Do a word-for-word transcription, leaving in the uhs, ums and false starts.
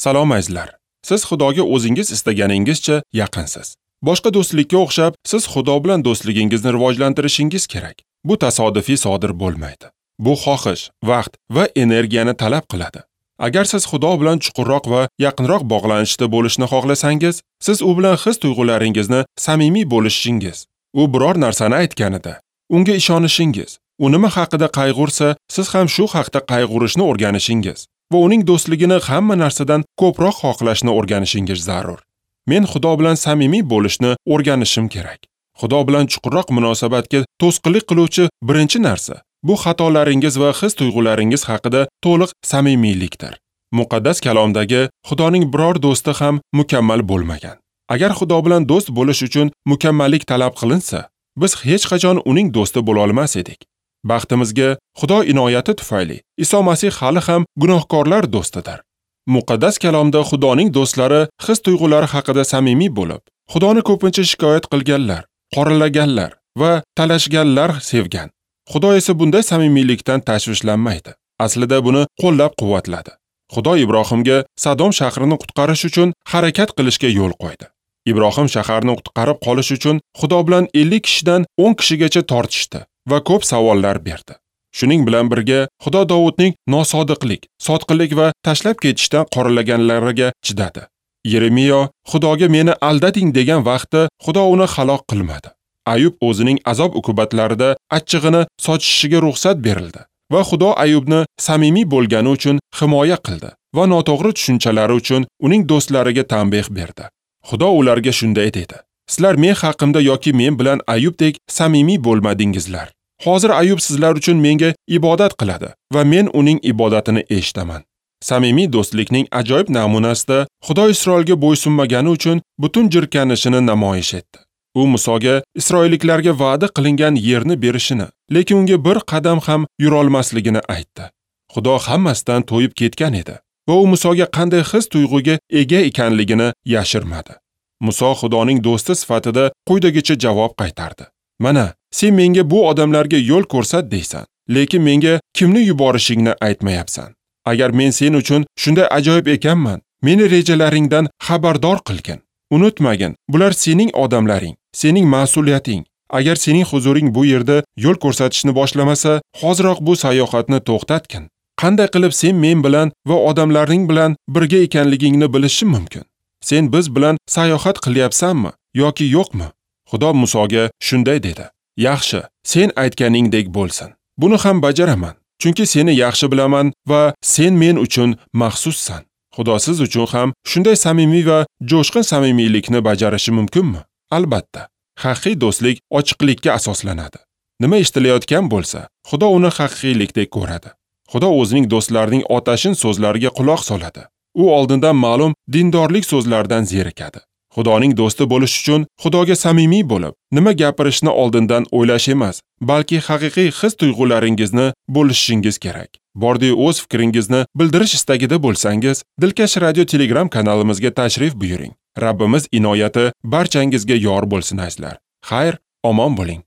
Salom azizlar. Siz Xudoga o'zingiz istaganingizcha yaqinsiz. Boshqa do'stlikka o'xshab, siz Xudo bilan do'stligingizni rivojlantirishingiz kerak. Bu tasodifiy sodir bo'lmaydi. Bu xohish, vaqt va energiyani talab qiladi. Agar siz Xudo bilan chuqurroq va yaqinroq bog'lanishda bo'lishni xohlasangiz, siz u bilan his-tuyg'ularingizni samimiy bo'lishingiz, u biror narsani aytganida unga ishonishingiz, u nima haqida qayg'ursa, siz ham shu haqda qayg'urishni o'rganishingiz va uning do'stligini hamma narsadan ko'proq xohlashni o'rganishingiz zarur. Men Xudo bilan samimiy bo'lishni o'rganishim kerak. Xudo bilan chuqurroq munosabatga to'sqinlik qiluvchi birinchi narsa bu xatolaringiz va his-tuyg'ularingiz haqida to'liq samimiylikdir. Muqaddas kalomdagi Xudoning biror do'sti ham mukammal bo'lmagan. Agar Xudo bilan do'st bo'lish uchun mukammallik talab qilinsa, biz hech qachon uning do'sti bo'la olmas edik. Baxtimizga, Xudo inoyati tufayli Iso Masih hali ham gunohkorlar do'stidir. Muqaddas kalomda Xudoning do'stlari his-tuyg'ulari haqida samimiy bo'lib, Xudoni ko'pincha shikoyat qilganlar, qoralaganlar va talashganlar sevgan. Xudo esa bunday samimiylikdan tashvishlanmaydi. Aslida buni qo'llab-quvvatladi. Xudo Ibrohimga Sodom shahrini qutqarish uchun harakat qilishga yo'l qo'ydi. Ibrohim shaharni qutqarib qolish uchun Xudo bilan ellik kishidan o'n kishigacha tortishdi va ko'p savollar berdi. Shuning bilan birga Xudo Dovudning nosodiqlik, sotqinlik va tashlab ketishdan qoralaganlariga chidadi. Yeremiyo Xudoga meni aldading degan vaqtda Xudo uni halok qilmadi. Ayub o'zining azob uqubatlarida achchig'ini sochishiga ruxsat berildi va Xudo Ayubni samimiy bo'lgani uchun himoya qildi va noto'g'ri tushunchalari uchun uning do'stlariga tanbeh berdi. Xudo ularga shunday dedi: Sizlar men haqimda yoki men bilan Ayubdek samimiy bo'lmadingizlar. Hozir Ayub sizlar uchun menga ibodat qiladi va men uning ibodatini eshitaman. Samimiy do'stlikning ajoyib namunasida Xudo Isroilga bo'ysunmagani uchun butun jirkanishini namoyish etdi. U Musoga isroilliklarga va'da qilingan yerni berishini, lekin unga bir qadam ham yurolmasligini aytdi. Xudo hammasidan to'yib ketgan edi va u Musoga qanday his-tuyg'uga ega ekanligini yashirmadi. Muso Xudoning do'sti sifatida quyidagicha javob qaytardi: Mana, sen menga bu odamlarga yo'l ko'rsat deysan, lekin menga kimni yuborishingni aytmayapsan. Agar men sen uchun shunday ajoyib ekanman, meni rejalaringdan xabardor qilgin. Unutmagin, bular sening odamlaring, sening mas'uliyating. Agar sening huzuring bu yerda yo'l ko'rsatishni boshlamasa, hoziroq bu sayohatni to'xtatgin. Qanday qilib sen men bilan va odamlaring bilan birga ekanligingni bilishim mumkin? Sen biz bilan sayohat qilyapsanmi yoki yo'qmi? Xudo Musoga shunday dedi: Yaxshi, sen aytganingdek bo'lsin. Buni ham bajaraman, chunki seni yaxshi bilaman va sen men uchun maxsussan. Xudo siz uchun ham shunday samimiy va jo'shqin samimiylikni bajarishi mumkinmi? Albatta. Haqiqiy do'stlik ochiqlikka asoslanadi. Nima eshitilayotgan bo'lsa, Xudo uni haqiqiylikdek ko'radi. Xudo o'zining do'stlarining otashin so'zlariga quloq soladi. U oldindan ma'lum dindorlik so'zlaridan zerikadi. Xudoning do'sti bo'lish uchun Xudoga samimiy bo'lib, nima gapirishni oldindan o'ylash emas, balki haqiqiy his-tuyg'ularingizni bo'lishingiz kerak. Bordi o'z fikringizni bildirish istagida bo'lsangiz, Dilkash Radio Telegram kanalimizga tashrif buyuring. Rabbimiz inoyati barchangizga yor bo'lsin azizlar. Xayr, omon bo'ling.